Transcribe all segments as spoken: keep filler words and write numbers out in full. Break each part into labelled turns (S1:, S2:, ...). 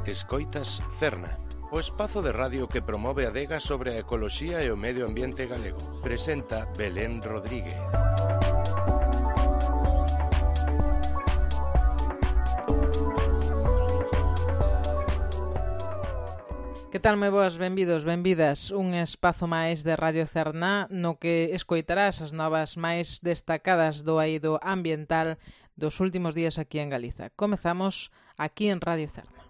S1: Escoitas Cerna, o espazo de radio que promove a adega sobre a ecoloxía e o medio ambiente galego. Presenta Belén Rodríguez.
S2: Que tal, moi boas, benvidos, benvidas. Un espazo máis de Radio Cerna no que escoitarás as novas máis destacadas do eido ambiental dos últimos días aquí en Galiza. Comezamos aquí en Radio Cerna.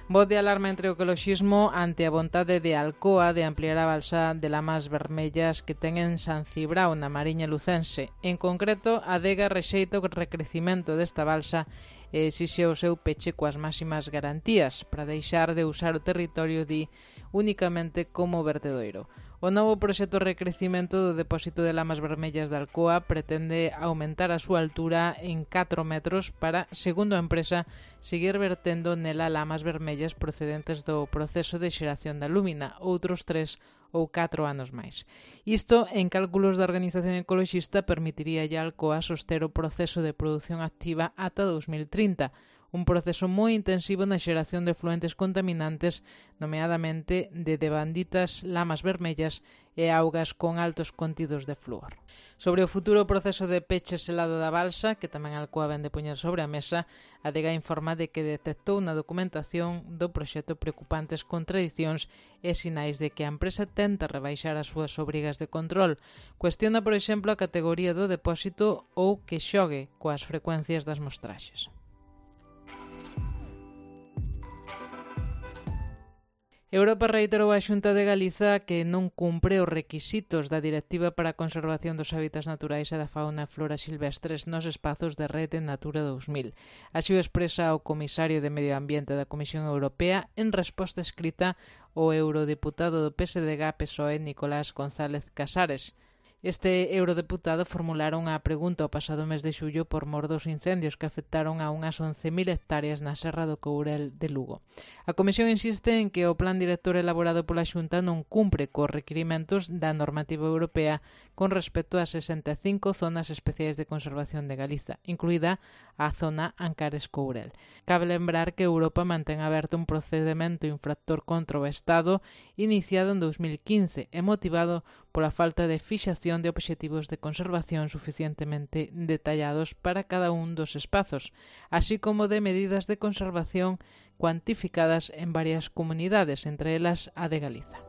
S2: Voz de alarma entre o ecoloxismo ante a vontade de Alcoa de ampliar a balsa de lamas vermellas que ten en San Cibrao, na Mariña Lucense. En concreto, a adega rexeita o recrecimento desta balsa e exixe o seu peche coas máximas garantías para deixar de usar o territorio di únicamente como vertedoiro. O novo proxecto de recrecimento do depósito de lamas vermellas de Alcoa pretende aumentar a súa altura en catro metros para, segundo a empresa, seguir vertendo nela lamas vermellas procedentes do proceso de xeración da lúmina, outros tres ou catro anos máis. Isto, en cálculos da Organización Ecoloxista, permitiría a Alcoa soster o proceso de produción activa ata dos mil trinta, un proceso moi intensivo na xeración de fluentes contaminantes, nomeadamente de devanditas, lamas vermellas e augas con altos contidos de flúor. Sobre o futuro proceso de peche selado da balsa, que tamén Alcoa vende poñer sobre a mesa, a adega informa de que detectou na documentación do proxecto preocupantes contradicións e sinais de que a empresa tenta rebaixar as súas obrigas de control. Cuestiona, por exemplo, a categoría do depósito ou que xogue coas frecuencias das mostraxes. Europa reiterou á Xunta de Galiza que non cumpre os requisitos da Directiva para a Conservación dos Hábitats Naturais e da Fauna e Flora Silvestres nos espazos de Rede Natura dos mil. Así o expresa o comisario de Medio Ambiente da Comisión Europea en resposta escrita ao eurodeputado do P S D G P S O E Nicolás González Casares. Este eurodeputado formularon a pregunta o pasado mes de xullo por mor dos incendios que afectaron a unhas once mil hectáreas na Serra do Courel de Lugo. A Comisión insiste en que o plan director elaborado pola Xunta non cumpre cos requirimentos da normativa europea con respecto a sesenta e cinco zonas especiais de conservación de Galiza, incluída a zona Ancares-Courel. Cabe lembrar que Europa mantén aberto un procedimento infractor contra o Estado iniciado en dos mil quince e motivado pola falta de fixación de obxectivos de conservación suficientemente detallados para cada un dos espazos, así como de medidas de conservación cuantificadas en varias comunidades, entre elas a de Galiza.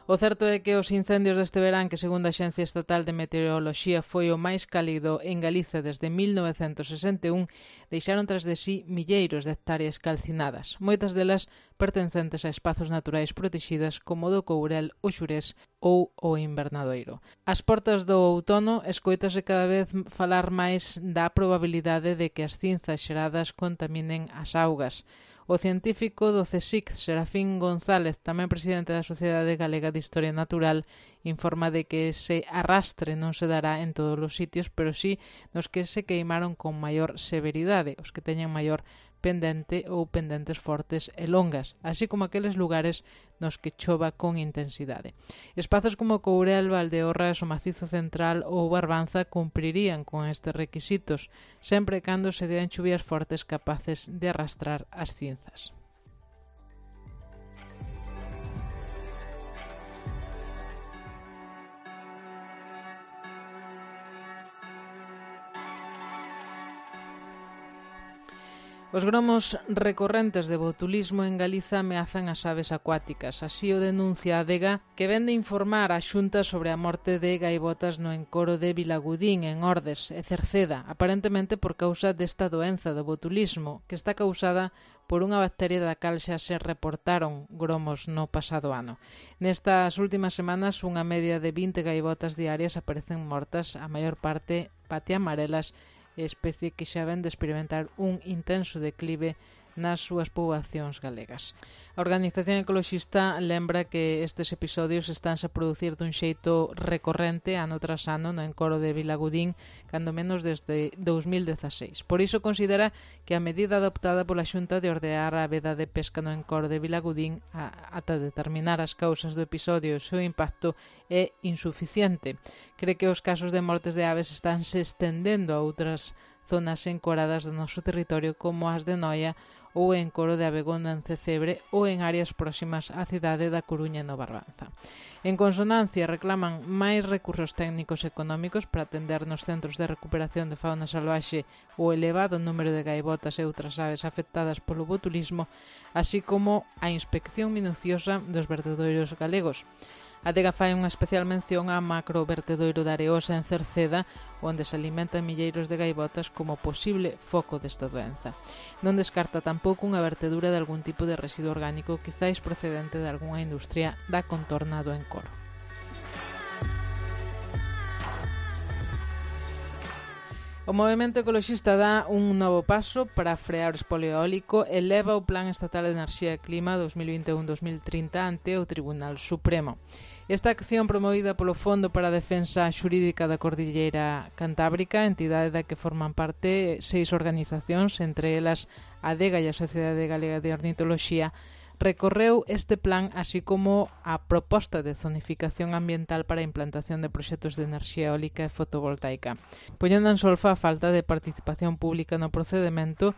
S2: O certo é que os incendios deste verán, que segundo a Axencia Estatal de Meteoroloxía foi o máis cálido en Galiza desde mil novecentos sesenta e un, deixaron tras de sí milleiros de hectáreas calcinadas, moitas delas pertencentes a espazos naturais protexidas como o do Courel, o Xurés ou o Invernadoiro. Ás portas do outono, escoítase cada vez falar máis da probabilidade de que as cinzas xeradas contaminen as augas. O científico do CSIC, Serafín González, tamén presidente da Sociedade Galega de Historia Natural, informa de que ese arrastre non se dará en todos os sitios, pero sí nos que se queimaron con maior severidade, os que teñen maior pendente ou pendentes fortes e longas, así como aqueles lugares nos que chova con intensidade. Espazos como Courel, Valdeorras, o Macizo Central ou Barbanza cumprirían con estes requisitos, sempre cando se dean chuvias fortes capaces de arrastrar as cinzas. Os gromos recorrentes de botulismo en Galiza ameazan as aves acuáticas. Así o denuncia a adega, que vende informar a Xunta sobre a morte de gaivotas no encoro de Vilagudín, en Ordes e Cerceda, aparentemente por causa desta doenza do botulismo, que está causada por unha bacteria da cal xa se reportaron gromos no pasado ano. Nestas últimas semanas, unha media de vinte gaivotas diarias aparecen mortas, a maior parte patiamarelas, especie que xa ven de experimentar un intenso declive nas súas poboacións galegas. A Organización Ecoloxista lembra que estes episodios estánse a producir dun xeito recorrente ano tras ano no encoro de Vilagudín, cando menos desde dous mil dezaseis. Por iso considera que a medida adoptada pola Xunta de ordear a veda de pesca no encoro de Vilagudín a, ata determinar as causas do episodio e o seu impacto é insuficiente. Cree que os casos de mortes de aves estánse estendendo a outras zonas encoradas do noso territorio como as de Noia ou o encoro de Abegondo en Cecebre ou en áreas próximas á cidade da Coruña no Barbanza. En consonancia, reclaman máis recursos técnicos e económicos para atender nos centros de recuperación de fauna salvaxe o elevado número de gaivotas e outras aves afectadas polo botulismo, así como a inspección minuciosa dos vertedoiros galegos. A Adega fai unha especial mención á macrovertedoiro da Areosa en Cerceda, onde se alimentan milleiros de gaivotas como posible foco desta doenza. Non descarta tampouco unha vertedura de algún tipo de residuo orgánico, quizáis procedente de algunha industria da contorna do encoro. O movemento ecoloxista dá un novo paso para frear o espolio eólico e leva o Plan Estatal de Enerxía e Clima dos mil vinte e un a dos mil trinta ante o Tribunal Supremo. Esta acción promovida polo Fondo para a Defensa Xurídica da Cordilleira Cantábrica, entidade da que forman parte seis organizacións, entre elas a Adega e a Sociedade Galega de Ornitoloxía, recorreu este plan así como a proposta de zonificación ambiental para a implantación de proxectos de enerxía eólica e fotovoltaica, poñendo en solfa a falta de participación pública no procedimento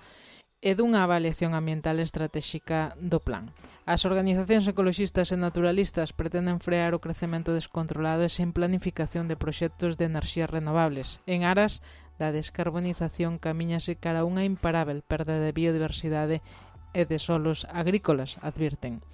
S2: e dunha avaliación ambiental estratégica do plan. As organizacións ecoloxistas e naturalistas pretenden frear o crecemento descontrolado e sen planificación de proxectos de enerxías renovables. En aras da descarbonización camiñase cara a unha imparável perda de biodiversidade e de solos agrícolas, advirten.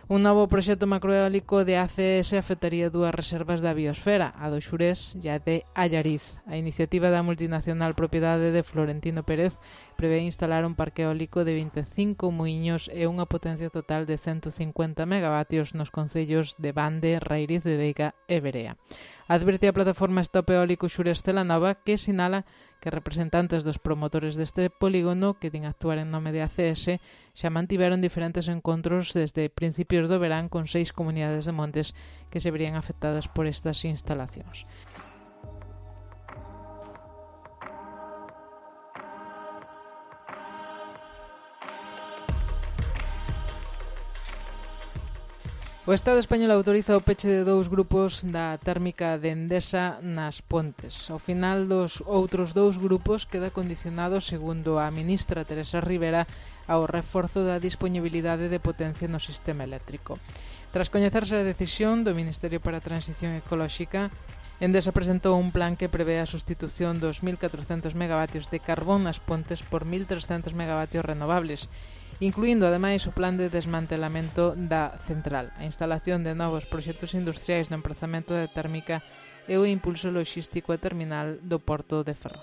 S2: Un novo proxecto macroeólico de A C S afectaría dúas reservas da biosfera, a do Xurés e a de Allariz. A iniciativa da multinacional propiedade de Florentino Pérez prevé instalar un parque eólico de vinte e cinco muiños e unha potencia total de ciento cincuenta megavatios nos concellos de Bande, Rairiz de Veiga e Berea. Advirte a plataforma Stop Eólico Xurés Celanova, que sinala que representantes dos promotores deste polígono, que din actuar en nome de A C S, xa mantiveron diferentes encontros desde principios do verán con seis comunidades de montes que se verían afectadas por estas instalacións. O Estado español autoriza o peche de dous grupos da térmica de Endesa nas Pontes. Ao final dos outros dous grupos queda condicionado, segundo a ministra Teresa Rivera, ao reforzo da disponibilidade de potencia no sistema eléctrico. Tras coñecerse a decisión do Ministerio para a Transición Ecolóxica, Endesa presentou un plan que prevé a sustitución dos mil catrocentos megavatios de carbón nas Pontes por mil trescentos megavatios renovables, incluindo ademais o plan de desmantelamento da central, a instalación de novos proxectos industriais no emprazamento de térmica e o impulso loxístico e terminal do porto de Ferrol.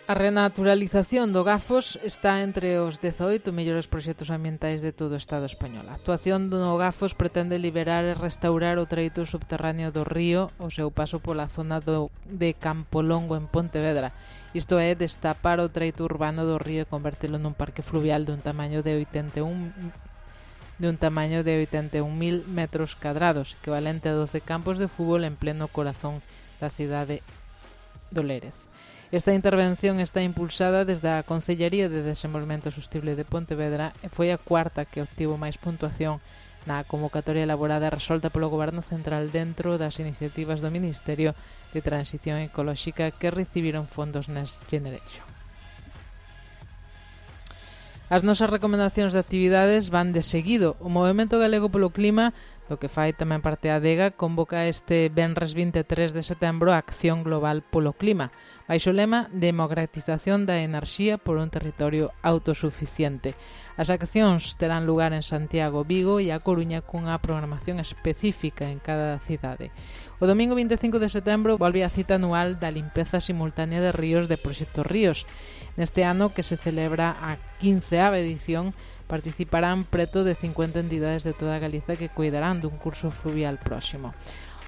S2: A renaturalización do Gafos está entre os dezaoito mellores proxectos ambientais de todo o Estado español. A actuación do Gafos pretende liberar e restaurar o treito subterráneo do río ao seu paso pola zona do, de Campolongo en Pontevedra. Isto é, destapar o treito urbano do río e convertelo nun parque fluvial dun tamaño de oitenta e un de un tamaño de oitenta e un mil metros cadrados, equivalente a doce campos de fútbol en pleno corazón da cidade do Lérez. Esta intervención está impulsada desde a Concellería de Desenvolvemento Sostible de Pontevedra e foi a cuarta que obtivo máis puntuación na convocatoria elaborada e resolta polo Goberno Central dentro das iniciativas do Ministerio de Transición Ecolóxica que recibiron fondos Next Generation. As nosas recomendacións de actividades van de seguido. O Movemento Galego polo Clima, do que fai tamén parte a Adega, convoca este venres vinte e tres de setembro a Acción Global polo Clima, baixo o lema Democratización da enerxía por un territorio autosuficiente. As accións terán lugar en Santiago, Vigo e A Coruña cunha programación específica en cada cidade. O domingo vinte e cinco de setembro volve a cita anual da limpeza simultánea de ríos de Proxecto Ríos. Neste ano, que se celebra a quinceava edición, participarán preto de cincuenta entidades de toda Galiza que cuidarán dun curso fluvial próximo.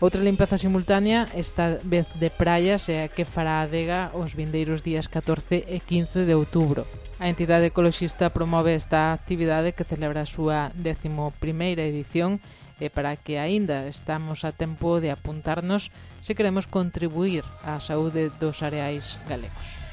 S2: Outra limpeza simultánea, esta vez de praias, é a que fará a adega os vindeiros días catorce e quince de outubro. A entidade ecoloxista promove esta actividade que celebra a súa décimo primeira edición e para que aínda estamos a tempo de apuntarnos se queremos contribuir á saúde dos areais galegos.